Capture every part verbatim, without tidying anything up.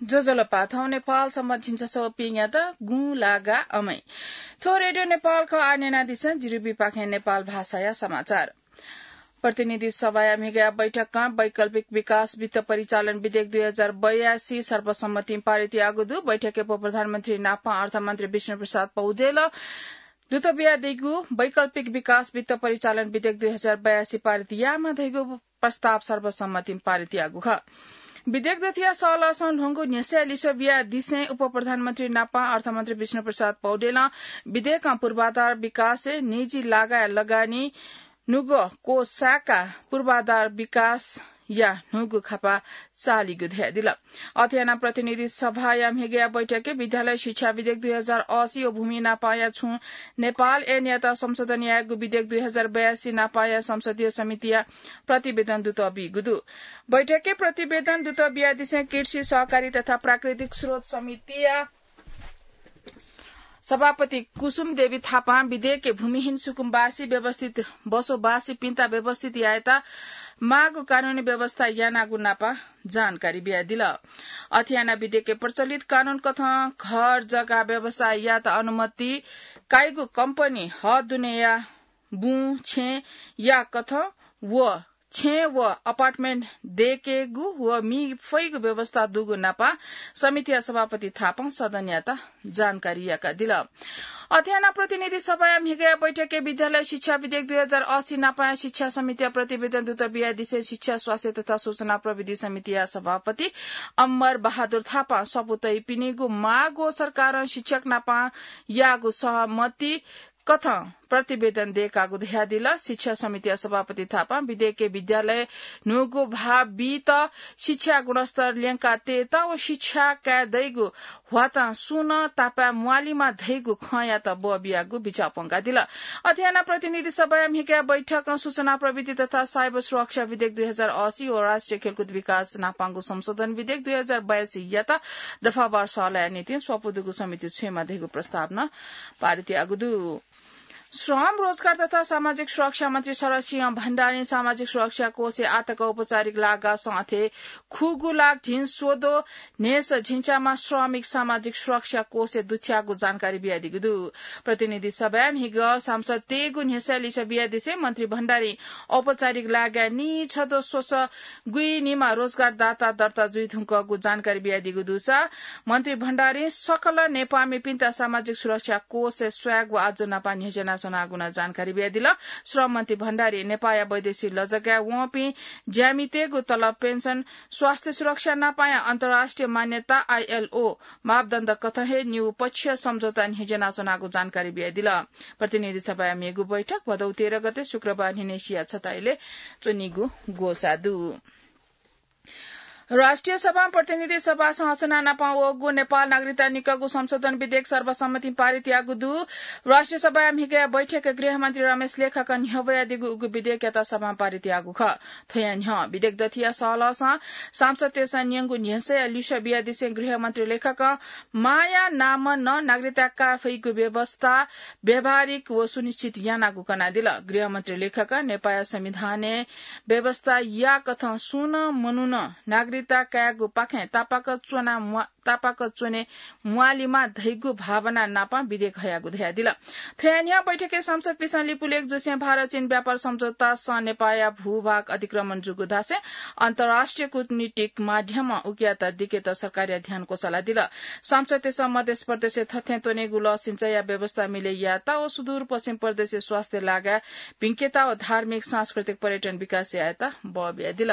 ज्वजलपा, थौं नेपाल संवत् झिंछसः व पीन्यात गुँलागा अमै। थ्व रेडियो नेपाल खः। आः न्यनादिसँ जिरिबीपाखें नेपाल भाषाया समाचार। प्रतिनिधि सभाया म्हिगःया बैठकं वैकल्पिक विकास वित्त परिचालन विधेयक दुई हजार बयासी सर्वसम्मतिं पारित याःगु दु। बैठकय् उपप्रधानमन्त्री नापं अर्थमन्त्री विष्णुप्रसाद पौडेलं दूत बियादीगु वैकल्पिक विकास वित्त परिचालन विधेयक दुई हजार बयासी पारित यायेमाः धइगु प्रस्ताव सर्वसम्मतिं पारित याःगु खः। विधेयक दथुया सहलहसं ल्ह्वंगु न्ह्यसःया लिसः बियादिसें उपप्रधानमन्त्री नापं अर्थमन्त्री विष्णुप्रसाद पौडेलं विधेयकं पूर्वाधार विकासय् निजी लागाया लगानी न्हूगु कोष साय्काः पूर्वाधार विकासया न्हूगु खापा चालीगु धयादिल। अथे यानाः प्रतिनिधि सभाया म्हिगःया बैठकय् विद्यालय शिक्षा विधेयक दुई हजार असी व भूमि नापंया छुं नेपाल ऐनयात संशोधन यायेगु विधेयक दुई हजार बयासी नापंया संसदीय समितिया प्रतिवेदन दूत बीगु दु। बैठकय् प्रतिवेदन दूत बियादिसें कृषि, सहकारी तथा प्राकृतिक स्रोत समितिया सभापति कुसुम देवी थापां विधेयकय् भूमिहीन सुकुम्बासी व्यवस्थित बसोबासीपिन्त व्यवस्थित यायेत माःगु कानूनी व्यवस्था यानागु नापं जानकारी बियादिल। अथे यानाः विधेयकय् प्रचलित कानून कथं घर जग्गा व्यवसाययात अनुमति काइगु कम्पनी हः दुनेया बुँ, छेँ या कथं व छेँ व अपार्टमेन्ट दयेकेगु व मी फइगु व्यवस्था दुगु नापं समितिया सभापति थापां सदनयात जानकारी याकादिल। अथे यानाः प्रतिनिधि सभाया म्हिगःया बैठकय् विद्यालय शिक्षा विधेयक दुई हजार असी नापंया शिक्षा समितिया प्रतिवेदन दूत बियादिसें शिक्षा, स्वास्थ्य तथा सूचना प्रविधि समितिया सभापति अमर बहादुर थापां स्वापू तइपिनिगु माग व सरकारं शिक्षक नापं याःगु सहमति कथं प्रतिवेदन दयेकागु धयादिल। शिक्षा समितिया सभापति थापां विधेयकय् विद्यालय न्हूगु भाव बीत, शिक्षा गुणस्तर ल्यंका तयेत व शिक्षा काये दइगु ह्वातां सुं नं तापाय् म्वालीमा धइगु खँयात बः बियागु बिचाः प्वंकादिल। अथे यानाः प्रतिनिधि सभाया म्हिगःया बैठकं सूचना प्रविधि तथा साइबर सुरक्षा विधेयक दुई हजार असी व राष्ट्रिय खेलकुद विकास नापंगु संशोधन विधेयक दुई हजार बयासी यात दफावार सहलया निंतिं स्वापू दुगु समिति छुयेमा धइगु प्रस्ताव नं पारित याःगु दु। श्रम, रोजगार तथा सामाजिक सुरक्षा मन्त्री शरद सिंह भण्डारीं सामाजिक सुरक्षा कोषय् आःतक औपचारिक लागासं अथे खुगू लाख झिंस्वदँ न्हय्सः झिंच्याम्ह श्रमिक सामाजिक सुरक्षा कोषय् दुथ्याःगु जानकारी बियादीगु दु। प्रतिनिधि सभाय् म्हिगः सांसदतय्गु न्ह्यसःया लिसः बियादिसें मन्त्री भण्डारीं औपचारिक लागाय् नीछदँ स्वसः गुइनिम्ह रोजगारदाता दर्ता जुइधुंकूगु जानकारी बियादीगु दुसा मन्त्री भण्डारीं सकल नेपाःमिपिन्त सामाजिक सुरक्षा कोषय् स्वयेगु आज्जु नापं न्ह्यज्यानाच्वनागु नं जानकारी बियादिल। श्रम मन्त्री भण्डारीं नेपाःया वैदेशिक लजगाय् वंपिं ज्यामितय्गु तलब, पेन्सन, स्वास्थ्य सुरक्षा नापंया अन्तर्राष्ट्रिय मान्यता, आईएलओ, मापदण्ड कथं हे निउपक्षीय सम्झौता न्ह्यज्यानाच्वनागु जानकारी बियादिल। प्रतिनिधि सभाया मेगु बैठक भदौ तेह्र गते शुक्रबार न्हिनय्सिया छता इलय् च्वनीगु ग्वसाः दु। राष्ट्रिय सभां प्रतिनिधि सभासं हसना नापं वःगु नेपाल नागरिकता निकःगु संशोधन विधेयक सर्वसम्मतिं पारित याःगु दु। राष्ट्रिय सभाया म्हिगःया बैठकय् गृहमन्त्री रमेश लेखकं न्ह्यब्वयादीगु उगु विधेयकयात सभां पारित याःगु खः। थ्वया न्ह्यः विधेयक दथुया सहलहसं सांसदतय्सं न्यंगु न्ह्यसःया लिसः बियादिसें गृहमन्त्री लेखकं मांया नामं नं नागरिकता काये फइगु व्यवस्था व्यावहारिक व सुनिश्चित यानागु कनादिल। गृहमन्त्री लेखकं नेपाःया संविधानय् व्यवस्था याःकथं सुं नं मनुखं नागरिकता कायेगुपाखें तापाक च्वना म्वा-, तापाक च्वने म्वालीमा धइगु भावना नापं विधेयक हयागु धयादिल। थ्वया न्ह्यः बैठकय् सांसदपिन्सं लिपू लेख जूसें भारत चीन व्यापार सम्झौतासं नेपाःया भूभाग अतिक्रमण जूगु धासें अन्तर्राष्ट्रिय कूटनीतिक माध्यमं उकियात दिकेत सरकारया ध्यान क्वसालादिल। सांसदतय्सं मधेस प्रदेशय् थथें त्वनेगु लः सिँचाइया व्यवस्था मिले यायेत व सुदूरपश्चिम प्रदेशय् स्वास्थ्य लागाय् भिंकेत व धार्मिक सांस्कृतिक पर्यटन विकास यायेत बः बियादिल।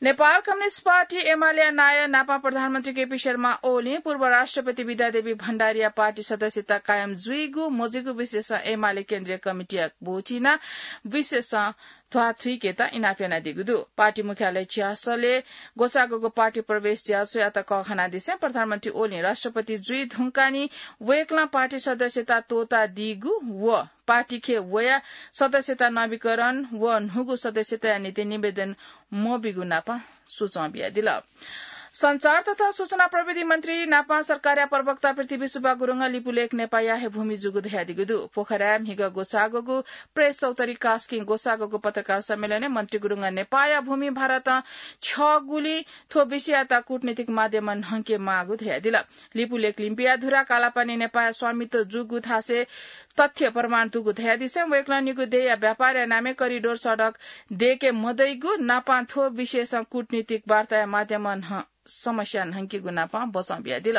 नेपाल कम्युनिस्ट पार्टी एमालेया नायः नापं प्रधानमन्त्री केपी शर्मा ओलीं पूर्व राष्ट्रपति विद्यादेवी भण्डारीया पार्टी सदस्यता कायम जुइगु मजुइगु विषयसं एमाले केन्द्रीय कमिटीया भोटिना विषयसं ध्वाथुइकेत इनाप यानादीगु दु। पार्टी मुख्यालय चिहासलय् ग्वसाःगु पार्टी प्रवेश ज्याझ्वःयात कःघानादिसें प्रधानमन्त्री ओलीं राष्ट्रपति जुइ धुंकाः नि वय्कलं पार्टी सदस्यता त्वःतादीगु व पार्टीखे वयाः सदस्यता नवीकरण व न्हूगु सदस्यताया निंतिं निवेदन मबीगु नापं सुचं बियादिल। सञ्चार तथा सूचना प्रविधि मन्त्री नापं सरकारया प्रवक्ता पृथ्वी सुब्बा गुरुङं लिपुलेक नेपाःया हे भूमि जूगु धयादीगु दु। पोखराय् म्हिगः ग्वसाःगुगु प्रेस चौतारी कास्किं ग्वसाःगुगु पत्रकार सम्मेलनय् मन्त्री गुरुङं नेपाःया भूमि भारतं छ्यःगुलिं थ्व विषययात कूटनीतिक माध्यमं न्हंके माःगु धयादिल। लिपुलेक लिम्पिया धुरा कालापानी नेपाःया स्वामित्व जूगु थासय् तथ्य प्रमाण दुगु धयादिसें वय्कलं निगू देय्‌या व्यापारया नामय् करिडोर सडक दय्‌के मदइगु नापं थ्व विषयसं कूटनीतिक वार्ताया माध्यमं न्ह-, समस्या न्हंकीगु नापं बचं बियादिल।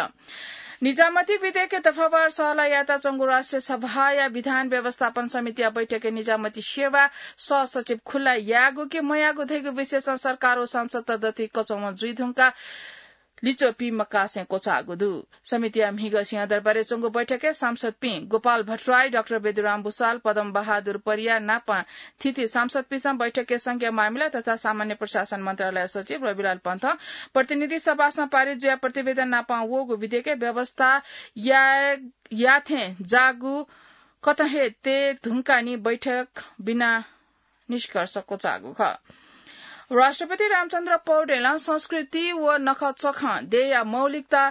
निजामती विधेयकय् दफावार सहलह यायेत च्वंगु राष्ट्रिय सभाया विधान व्यवस्थापन समितिया बैठकय् निजामती सेवा सहसचिव खुल्ला यायेगु कि मयायेगु धइगु विषयसं सरकार व सांसदत दथुइ कचंम्ह जुइधुंकाः लिच्वः पीम्ह कासय् क्वचाःगु दु। समितिया म्हिगः सिंहदरबारय् च्वंगु बैठकय् सांसदपिं गोपाल भट्टराई, डाक्टर बेदुराम भुसाल, पद्म बहादुर परियार नापं थीथी सांसदपिन्सं बैठकय् संघीय मामिला तथा सामान्य प्रशासन मन्त्रालय सचिव रविलाल पन्थं प्रतिनिधि सभासं पारित जुयाः प्रतिवेदन नापं वःगु विधेयकय् व्यवस्था याये, याथें जाःगु कथं हे तये धुंकाः नि बैठक बिना निष्कर्ष क्वचाःगु खः। राष्ट्रपति रामचन्द्र पौडेलं संस्कृति व नखःचखं देय्‌या मौलिकता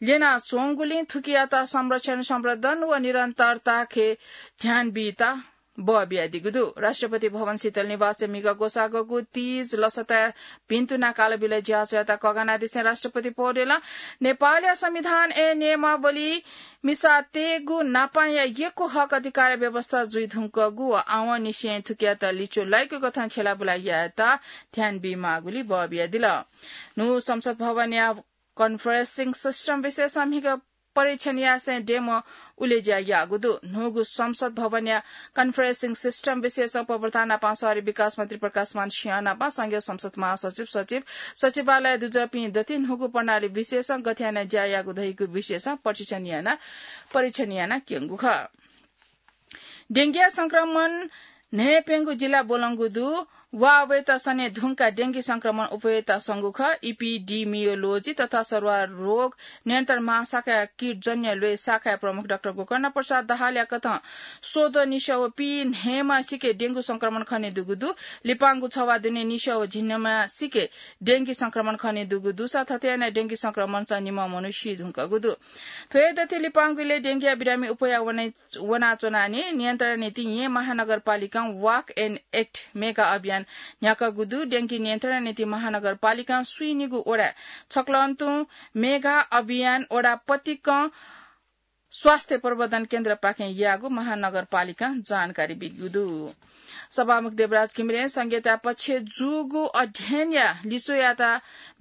ल्यनाच्वंगुलिं थुकियात संरक्षण, संवर्धन व निरन्तरताके ध्यान बीत बः बियादीगु दु। राष्ट्रपति भवन शीतल निवासय् म्हिगः ग्वसाःगु तीज लसताय् भिन्तुना कालबिल ज्याझ्वःयात कःघानादिसें राष्ट्रपति पौडेलं नेपालया संविधानय् नियमावली मिसातयेगु नापंया यक्व हक अधिकार व्यवस्था जुइधुंकूगु व आवंनिसें थुकियात लिच्वः लाइगु कथं छ्यलाबुला यायेत ध्यान बीमाःगुलिं बः बियादिल। न्हू संसद भवनया conferencing system विषयसं म्हिगः परीक्षण यासें डेमो उलेज्या याःगु दु। न्हूगु संसद भवनया conferencing system विषयसं उपभोक्ता नापं शहरी विकास मन्त्री प्रकाशमान सिंह नापं संघीय संसद महासचिव, सचिव, सचिवालय दुजःपिं दथुइ न्हूगु प्रणाली विषयसं गथे यानाः ज्या याःगु धइगु विषयसं परीक्षण याना, परीक्षण याना क्यंगु खः। डेंगीया संक्रमण न्हय्‌प्यंगू जिल्ला ब्वलंगु दु। वा वयेत सने धुंकाः डेंगी संक्रमण अप्वयेत संगु खः। Epidemiology तथा सरुवा रोग नियन्त्रण महाशाखाया कीटजन्य ल्वय् शाखाया प्रमुख डाक्टर गोकर्ण प्रसाद दाहालया कथं स्वद्वः निस्वः व पीन्हय्‌म्हसिके डेंगू संक्रमण खनेदुगु दु। लिपांगु छवाः दुने निस्वः व झिंन्हय्‌म्हसिके डेंगी संक्रमण खनेदुगु दुसा थथे यानाः डेंगी संक्रमणसं निम्ह मनू सी धुंकूगु दु। थ्व हे दथुइ लिपांगु इलय् डेंगीया बिरामी अप्वया वने वनाच्वनानि नियन्त्रण निंतिं येँ महानगरपालिकां Walk and Act मेगा अभियान न्ह्याकागु दु। डेंगी नियन्त्रण निंतिं महानगरपालिकां स्वीनिगू वडाय् छकलं तुं मेगा अभियान वडा पतिकं स्वास्थ्य प्रवर्धन केन्द्रपाखें याःगु महानगरपालिकां जानकारी बीगु दु। सभामुख देवराज घिमिरें संघीयताया पक्षय् जूगु अध्ययनया लिच्वःयात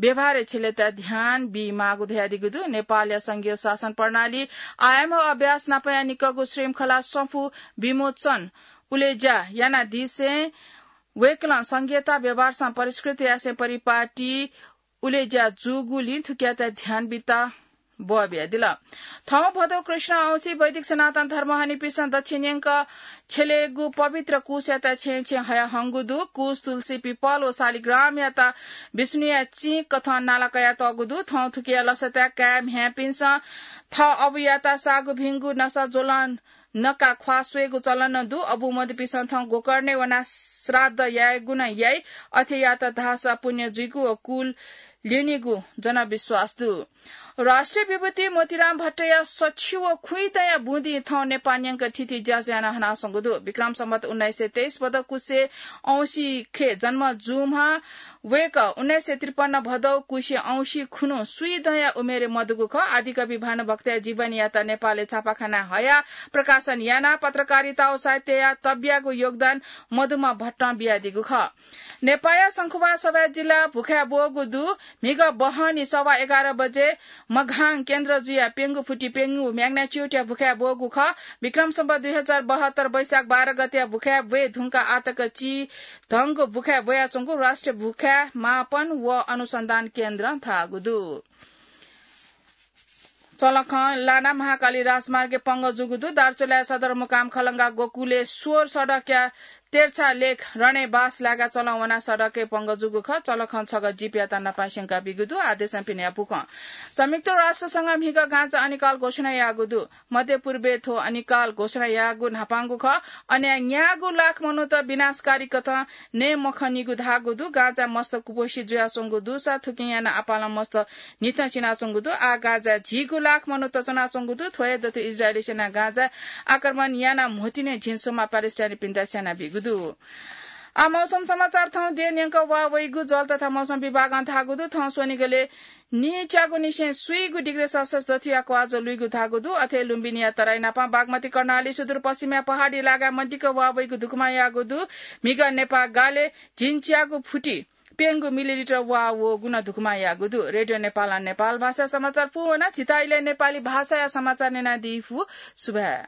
व्यवहारय् छ्यलेत ध्यान बीमाःगु धयादीगु दु। नेपालया संघीय शासन प्रणाली आयाम व अभ्यास नापया निकःगु श्रृंखला सफू विमोचन उलेज्या यानादिसें वय्‌कलं संघीयता व्यवहारसं परिष्कृत यासें परिपाटी उलेज्या जूगुलिं थुकियात ध्यान बीत बः बियादिल। थौं भदौ कृष्ण औंसी वैदिक सनातन धर्म हनीपिसं दच्छि न्यंक छ्यलेगु पवित्र कुशयात छेँय् छेँय् हयाहंगु दु। कुश तुलसी, पिपल व शालिग्रामयात विष्णुया चिं कथं नाला कयातःगु दु। थौं थुकिया लसताय् काय् म्ह्याय्‌पिन्सं थः अबुयात सागु भिंगु नसा ज्वलं नका ख्वाः स्वयेगु चलन नं दु। अबु मदुपिन्सं थौं गोकर्णय् वनाः श्राद्ध यायेगु नं याइ। अथे यात धाःसा पुण्य जुइगु व कुल ल्यनीगु जनविश्वास दु। राष्ट्रिय विभूति मोतीराम भट्टया सछि व खुइँ दँया बुँदिं थौं नेपाः न्यंक थीथी ज्याझ्वः यानाः हनाच्वंगु दु। विक्रम सम्वत उन्नाइस सय तेइस भदौ कुसे औंसीखे जन्म जूम्ह वय्‌कः उन्नाइस सय त्रिपन्न भदौ कुसे औंसी खुन्हु स्वीदँया उमेरय् मदुगु खः। आदिकवि भानुभक्तया जीवनीयात नेपालय् छापाखानाय् हयाः प्रकाशन यानाः पत्रकारिता व साहित्यया तब्यागु योगदान मदुम्ह भट्टं बियादीगु खः। नेपाःया शंखुवासभया जिल्ला भुखाय् ब्वःगु दु। म्हिगः बहनी सवा एघार बजे मघां केन्द्र जुयाः प्यंगू फुति प्यंगू magnitude-या भुखाय् ब्वःगु खः। विक्रम सम्वत दुई हजार बहत्तर वैशाख बाह्र गतेया भुखाय् ब्वये धुंकाः आःतक चिधंगु भुखाय् ब्वयाच्वंगु राष्ट्रिय भुखाय् मापन व अनुसन्धान केन्द्रं धाःगु दु। चलखं लाना महाकाली राजमार्गय् पंगः जूगु दु। दार्चुलाया सदरमुकाम खलंगा गोकुलेश्वर सडकया तेर्छा लेक रणय् बास लागा चलं वना सडकय् पंगः जूगु खः। चलखं छगः जीपयात नापं स्यंका बीगु दु। आदेशं पिने यापु खँ। संयुक्त राष्ट्र संघ म्हिगः गांजा अनिकाल घोषणा याःगु दु। मध्य पूर्वय् थ्व अनिकाल घोषणा याःगु न्हापांगु खः। अन न्यागू लाख मनूत विनाशकारी कथं नये मखनीगु धाःगु दु। गांजा मस्त कुपोषित जुयाच्वंगु दुसा थुकिं यानाः आपालं मस्त निथं सिनाच्वंगु दु। आः गांजा झिगू लाख मनूत च्वनाच्वंगु दु। थ्व हे दथुइ इजरायली सेनां गांजा आक्रमण यानाः म्होतिने झिंस्वम्ह प्यालेस्टाइनीपिन्त स्यानाबीगु दु। आः मौसम समाचार। थौं देय् न्यंक वा वइगु जल तथा मौसम विभागं धाःगु दु। थौं स्वनिगलय् निच्यागुनिसें स्वीगु डिग्री सेल्सियस दथुया क्वाःज्वः लुइगु धाःगु दु। अथे लुम्बिनीया तराई नापं बागमती कर्णाली सुदूरपश्चिमया पहाडी लागाय् मदिक्क वा वइगु धुकुमा याःगु दु। म्हिगः नेपाः गालय् झिंच्यागु फुति प्यंगू मिलिलिटर वा वःगु नं धुकुमा याःगु दु। रेडियो नेपालं नेपाल भाषा समाचार पूवना। झीत इलय् नेपाली भाषाया समाचार न्यनादी फु। सुभाय्।